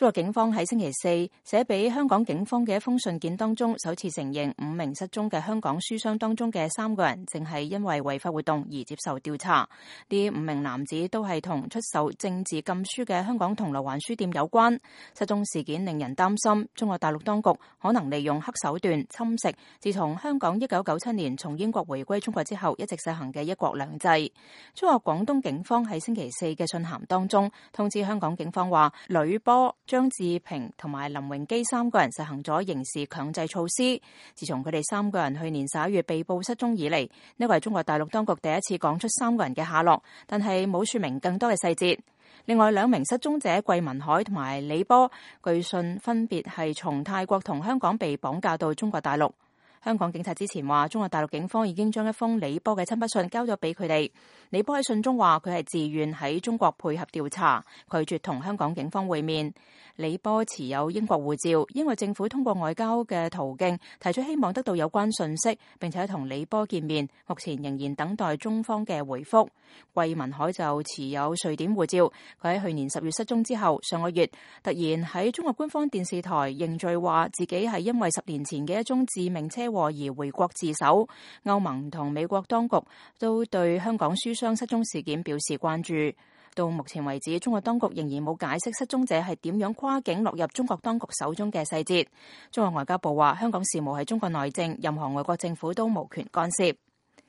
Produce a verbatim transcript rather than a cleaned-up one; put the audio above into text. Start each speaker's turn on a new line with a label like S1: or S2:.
S1: 中國警方喺星期四寫俾香港警方嘅一封信件當中，首次承認五名失蹤嘅香港書商當中嘅三個人，正係因為違法活動而接受調查。呢五名男子都係同出售政治禁書嘅香港銅鑼灣書店有關。失蹤事件令人擔心，中國大陸當局可能利用黑手段侵蝕自從香港一九九七年從英國回歸中國之後一直實行嘅一國兩制。中國廣東警方喺星期四嘅信函當中通知香港警方話，呂波、張志平同埋林榮基三個人實行咗刑事強制措施。自從佢哋三個人去年十一月被捕失蹤以嚟，呢個係中國大陸當局第一次講出三個人嘅下落，但係冇說明更多嘅細節。另外兩名失蹤者桂民海同埋李波，據信分別係從泰國同香港被綁架到中國大陸。香港警察之前話，中國大陸警方已經將一封李波嘅親筆信交咗俾佢哋。李波喺信中話，佢係自願喺中國配合調查，拒絕同香港警方會面。李波持有英國護照，英國政府通過外交嘅途徑提出希望得到有關信息，並且同李波見面，目前仍然等待中方嘅回覆。桂民海就持有瑞典護照，佢喺去年十月失蹤之後，上個月突然喺中國官方電視台認罪，話自己係因為十年前嘅一宗致命車禍而回國自首。歐盟同美國當局都對香港書商失蹤事件表示關注。到目前為止，中國當局仍然冇解釋失蹤者係點樣跨境落入中國當局手中嘅細節。中國外交部話，香港事務係中國內政，任何外國政府都無權干涉。